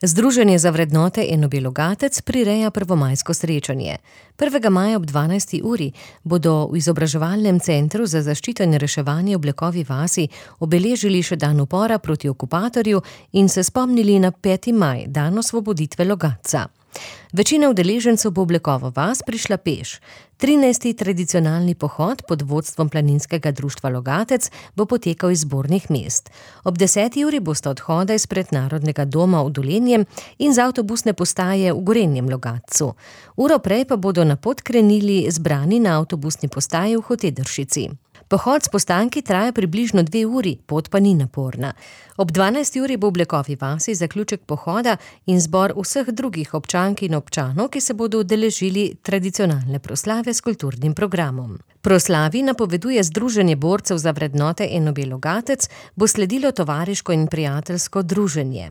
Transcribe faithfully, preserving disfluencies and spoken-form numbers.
Združenje za vrednote Enobe Logatec prireja prvomajsko srečanje. prvega maja ob dvanajsti uri bodo v izobraževalnem centru za zaščito in reševanje v Blekovi vasi obeležili še dan upora proti okupatorju in se spomnili na peti maj, dan osvoboditve Logatca. Večina udeležencev bo v Blekovo vas prišla peš. trinajsti tradicionalni pohod pod vodstvom Planinskega društva Logatec bo potekal iz zbornih mest. Ob deseti uri bosta odhoda izpred Narodnega doma v Dolenjem in z avtobusne postaje v Gorenjem Logatcu. Uro prej pa bodo na pot krenili zbrani na avtobusni postaji v Hotedršici. Pohod s postanki traja približno dve uri, pot pa ni naporna. Ob dvanajsti uri bo v Blekovi vasi zaključek pohoda in zbor vseh drugih občank in občanov, ki se bodo udeležili tradicionalne proslave s kulturnim programom. Proslavi napoveduje Združenje borcev za vrednote Enobe Logatec, bo sledilo tovariško in prijateljsko druženje.